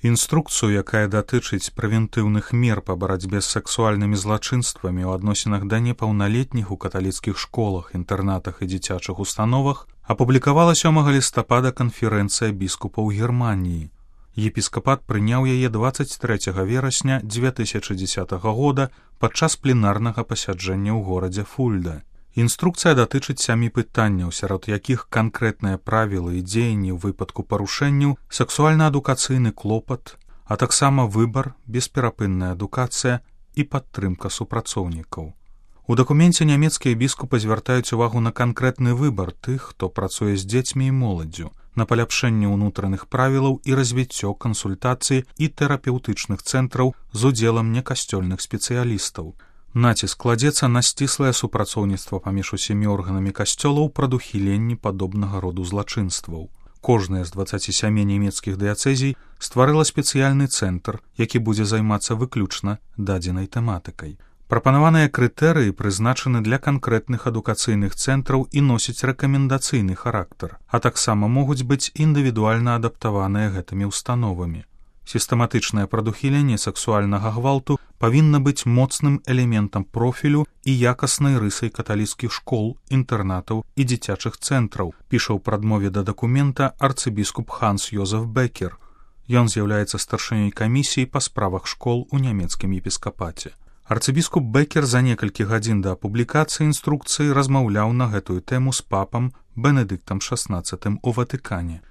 Інструкцыю, якая датычыць прэвентыўных мер па барацьбе з сексуальнымі злачынствамі ў адносінах да непаўналетніх у каталіцкіх школах, інтэрнатах і дзіцячых установах, апублікавала 7 лістапада канферэнцыя біскупаў Германіі. Епіскапат прыняў яе 23 верасня 2010 года падчас пленарнага пасяджэння ў горадзе Фульда. Інструкцыя датычыць 7 пытанняў, сярод якіх канкрэтныя правілы і дзеянні ў выпадку парушэнняў, сексуальна-адукацыйны клопат, а таксама выбар, бесперапынная адукацыя і падтрымка супрацоўнікаў. У дакуменце нямецкія біскупы звяртаюць увагу на канкрэтны выбар тых, хто працуе з дзецьмі і моладдзю, на паляпшэнне ўнутраных правілаў і развіццё кансультацый і тэрапеўтычных цэнтраў з удзелам некасцёльных спецыялістаў. Націск кладзецца на сціслае супрацоўніцтва паміж усімі органамі касцёлаў прадухіленні падобнага роду злачынстваў. Кожная з 27 нямецкіх дыяцэзій стварыла спецыяльны цэнтр, які будзе займацца выключна дадзенай тэматыкай. Прапанаваныя крытэрыі прызначаны для канкрэтных адукацыйных цэнтраў і носяць рэкамендацыйны характар, а таксама могуць быць індывідуальна адаптаваныя гэтымі установамі. Сістэматычнае прадухіленне сексуальнага гвалту павінна быць моцным элементам профілю і якаснай рысай каталіцкіх школ, інтэрнатаў і дзіцячых цэнтраў, піша ў прадмове да дакумента арцыбіскуп Ханс Йозеф Бекер. Ён з'яўляецца старшынёй камісіі па справах школ у нямецкім епіскапаце. Арцыбіскуп Бекер за некалькі гадзін да публікацыі інструкцыі размаўляў на гэтую тэму з папам Бенедыктам XVI у Ватыкане.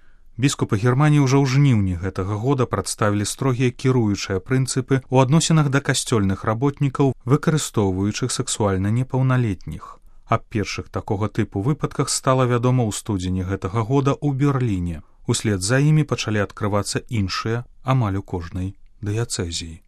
Біскупы Германіі ўжо ў жніўні гэтага года прадставілі строгія кіруючыя прынцыпы ў адносінах да касцёльных работнікаў, выкарыстоўваючых сексуальна непаўналетніх. Аб першых такога тыпу выпадках стала вядома ў студзені гэтага года ў Берліне. Услед за імі пачалі адкрывацца іншыя амаль у кожнай дыяцэзіі.